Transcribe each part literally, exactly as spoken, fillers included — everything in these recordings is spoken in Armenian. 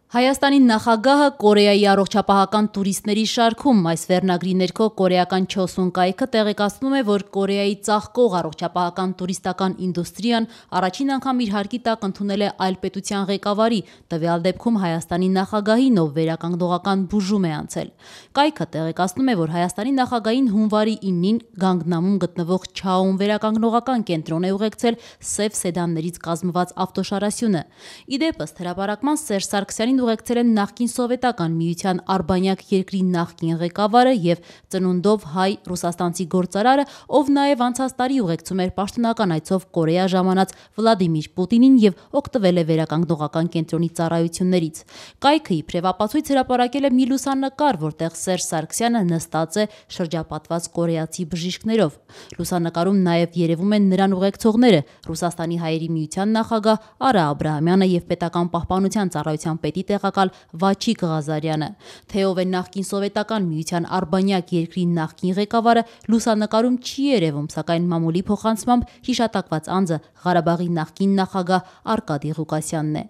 Հայաստանի նախագահը Կորեայի առողջապահական տուրիստների շարքում այս վերնագրի ներքո կորեական Չոսուն կայքը տեղեկացնում է, որ Կորեայի ծաղկող առողջապահական տուրիստական ինդուստրիան առաջին անգամ իր հարկի տակ ընդունել է այլ պետության ղեկավարի, տվյալ դեպքում Հայաստանի նախագահին, ով վերականգնողական բուժում է անցել։ Կայքը տեղեկացնում է, որ Հայաստանի նախագահին հունվարի իննին Գանգնամում գտնվող Չաոուն վերականգնողական կենտրոն է ուղեկցել սև սեդաններից կազմված ավտոշարասյունը։ Ի դեպ, ըստ հրապարակման, Սերժ Սարգսյանին ուղեկցել են նախկին Սովետական միության Արբանյակ երկրի նախկին ղեկավարը եւ ծնունդով հայ ռուսաստանցի գործարարը, ով նաեւ անցած տարի ուղեկցում էր պաշտոնական այցով Կորեա ժամանած Վլադիմիր Պուտինին եւ օգտվել է վերականգնողական կենտրոնի ծառայություններից։ Կայքը իբրև ապացույց հրապարակել է մի լուսանկար, որտեղ Սերժ Սարգսյանը նստած է շրջապատված կորեացի բժիշկներով։ Լուսանկարում նաեւ երևում են նրան ուղեկցողները՝ Ռուսաստանի հայերի միության նախագահ Արա Աբրահամյանը եւ պետական պահպանության ծառայության պետի տեղակալ Վաչիկ Ղազարյանը։ Թե ով է նախկին Սովետական միության Արբանյակ երկրի նախկին ղեկավարը, լուսանկարում չի երևում, սակայն մամուլի փոխանցմամբ հիշատակված անձը Ղարաբաղի նախկին նախագահ Արկադի Ղուկասյանն է։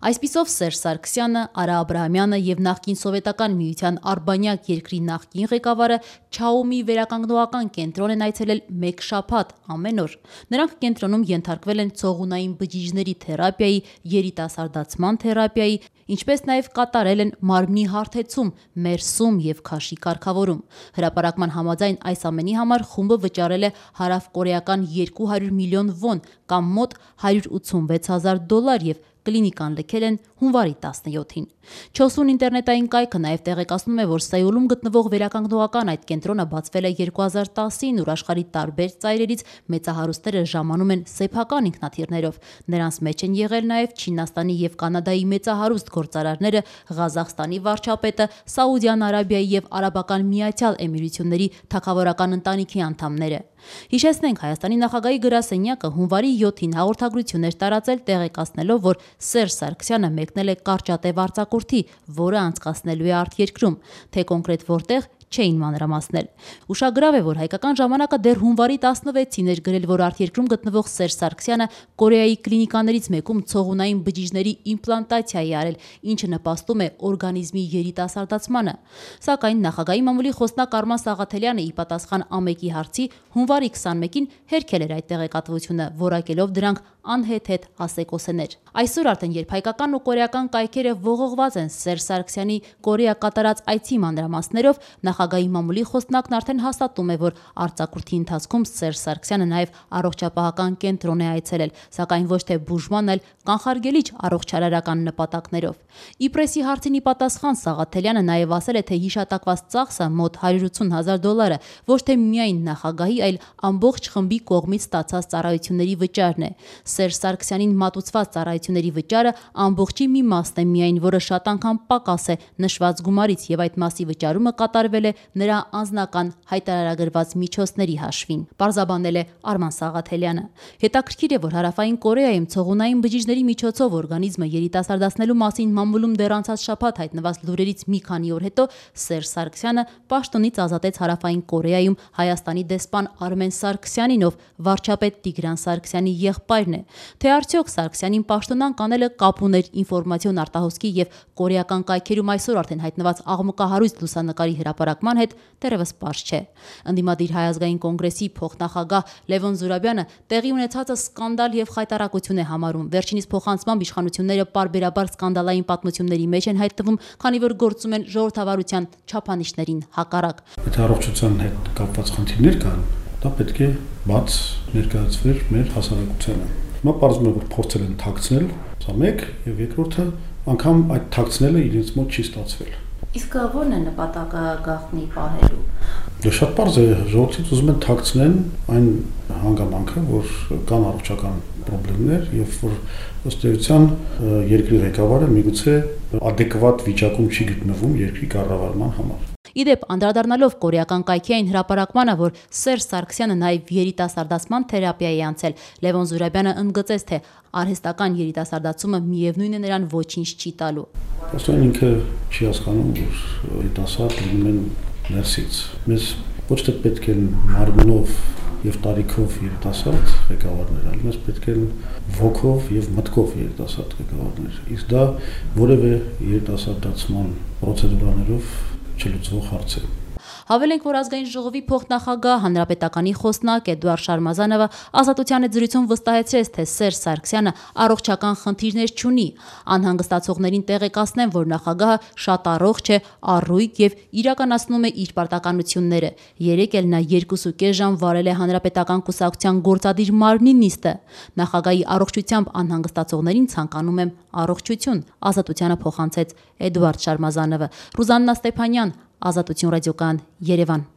Այսպիսով Սերժ Սարգսյանը, Արա Աբրահամյանը եւ նախկին Սովետական միության Արբանյակ երկրի նախկին ղեկավարը Չաոումի վերականգնողական կենտրոն են այցելել մեկ շաբաթ ամեն օր։ Նրանք կենտրոնում ենթարկվել են ցողունային բջիջների թերապիայի, երիտասարդացման թերապիայի, ինչպես նաև կատարել են մարմնի հարթեցում, մերսում եւ քաշի կարգավորում։ Հրապարակման համաձայն այս ամենի համար խումբը վճարել է հարավկորեական երկու հարյուր միլիոն վոն կամ մոտ հարյուր ութսունվեց հազար դոլար եւ կլինիկան լքել են հունվարի տասնյոթին։ Չոսուն ինտերնետային կայքը նաև տեղեկացնում է, որ Սեուլում գտնվող վերականգնողական այդ կենտրոնը բացվել է երկու հազար տասին, ուր աշխարհի տարբեր ծայրերից մեծահարուստները ժամանում են սեփական ինքնաթիռներով։ Նրանց մեջ են եղել նաև Չինաստանի եւ Կանադայի մեծահարուստ գործարարները, Ղազախստանի վարչապետը, Սաուդյան Արաբիայի եւ Արաբական Միացյալ Էմիրությունների թագավորական ընտանիքի անդամները։ Հիշեցնենք, Հայաստանի նախագահի գրասենյակը հունվարի յոթին հաղորդագրություն էր տարածել, տեղեկացնելով, որ Սերժ Սարգսյանը մեկնել է կարճատև արձակուրդի, որը անցկացնելու է արտերկրում, թե կոնկրետ որտեղ չէին մանրամասնել։ Ուշագրավ է, որ հայկական ժամանակը դեռ հունվարի տասնվեցին էր գրել, որ արտերկրում գտնվող Սերժ Սարգսյանը Կորեայի կլինիկաներից մեկում ցողունային բջիջների իմպլանտացիա է արել, ինչը նպաստում է օրգանիզմի երիտասարդացմանը։ Սակայն նախագահի մամուլի խոսնակ Արման Սաղաթելյանը ի պատասխան ԱՄԷԿ-ի հարցի հունվարի քսանմեկին հերքել էր այդ տեղեկատվությունը, որակելով դրանք անհեթեթ ասեկոսեներ։ Այսօր արդեն, երբ հայկական ու կորեական կայքերը ողողված են Սերժ Սարգսյանի Կորեա կատարած այցի մանրամասներով, նախագահի մամուլի խոսնակն արդեն հաստատում է, որ արձակուրդի ընթացքում Սերժ Սարգսյանը նաև առողջապահական կենտրոն է այցելել, սակայն ոչ թե բուժման, այլ կանխարգելիչ առողջարարական նպատակներով։ Իպրեսի հարցին ի պատասխան Սաղաթելյանը նաև ասել է, թե հիշատակված ծախսը մոտ հարյուր ութսուն հազար դոլարը ոչ թե միայն նախագահի, այլ ամբողջ խմբի կողմից ստացած ծառայությունների վճարն է։ Սերժ Սարգսյանին մատուցված ծառայությունների վճարը ամբողջի մի մասն է միայն, որը շատ անգամ պակաս է նշված գումարից, եւ այդ մասի վճարումը կատարվել է նրա անձնական հայտարարագրված միջոցների հաշվին, պարզաբանել է Արման Սաղաթելյանը։ Հետաքրքիր է, որ Հարավային Կորեայում ցողունային բջիջների միջոցով օրգանիզմը երիտասարդացնելու մասին մամուլում դեռ անցած շաբաթ հայտնված լուրերից մի քանի օր հետո Սերժ Սարգսյանը պաշտոնից ազատեց Հարավային Կորեայում Հայաստանի դեսպան Արմեն Սարգսյանին, ով վարչապետ Տիգրան Սարգսյանի եղբայրն է։ Թե արդյոք Սարգսյանին պաշտոնան կանելը կապ ուներ ինֆորմացիոն արտահոսքի եւ կորեական կայքերում այսօր արդեն հայտնված աղմկահարույց լուսանկարի հրապարակման հետ, դեռևս պարզ չէ։ Ընդդիմադիր Հայ ազգային կոնգրեսի փոխնախագահ Լևոն Զուրաբյանը տեղի ունեցածը սկանդալ եւ խայտարակություն է համարում։ Վերջինիս փոխանցմամբ իշխանությունները պարբերաբար սկանդալային պատմությունների մեջ են հայտնվում, քանի որ գործում են ժողովրդավարության չափանիշներին հակառակ։ Եթե առողջության հետ կապված խնդիրներ կան, դա պետք է բաց ներկայացվեր մեր հասարակությանը։ Հիմա պարզվում է, որ փորձել են թաքցնել, սա մեկ, եւ երկրորդը անգամ այդ թաքցնելը իրենց մոտ չի ստացվել։ Իսկ ո՞րն է նպատակը գաղտնի պահելու։ Դա շատ պարզ է, ժողովրդից ուզում են թաքցնեն այն հանգամանքը, որ կան առողջական խնդիրներ եւ որ ըստ էության երկրի ղեկավարը միգուցե adekvat վիճակում չի գտնվում երկրի կառավարման համար։ Իդեպ, անդրադառնալով կորեական կայքի այն հրապարակմանը, որ Սերժ Սարգսյանը նաև երիտասարդացման թերապիա է անցել, Լևոն Զուրաբյանը ընդգծեց, թե արհեստական երիտասարդացումը միևնույն է նրան ոչինչ չի տալու։ Ոստան ինքը չի հասկանում, որ երիտասարդ լինում են ներսից։ Մեզ ոչ թե պետք է մարմնով եւ տարիքով երիտասարդ ղեկավարներ, այլ մեզ պետք են ոգով եւ մտքով երիտասարդ ղեկավարներ։ Իսկ դա որևէ երիտասարդացման պրոցեդուրաներով չլուծվող հարց է։ Հավելենք, որ ազգային ժողովի փոխնախագահ հանրապետականի խոսնակ Էդուարդ Շարմազանովը ազատության հետ զրույցում վստահեցրեց, թե Սերժ Սարգսյանը առողջական խնդիրներ չունի։ Անհանգստացողներին տեղեկացնեմ, որ նախագահը շատ առողջ է, առույգ եւ իրականացնում է իր պարտականությունները։ Երեկ էլ նա երկուսուկես ժամ վարել է հանրապետական կուսակցության գործադիր մարմնի նիստը։ Նախագահի առողջությամբ անհանգստացողներին ցանկանում եմ առողջություն, ազատությանը փոխանցեց Էդուարդ Շարմազանովը։ Ռուզաննա Ստեփանյան, Ազատություն ռադիոկայան, Երևան։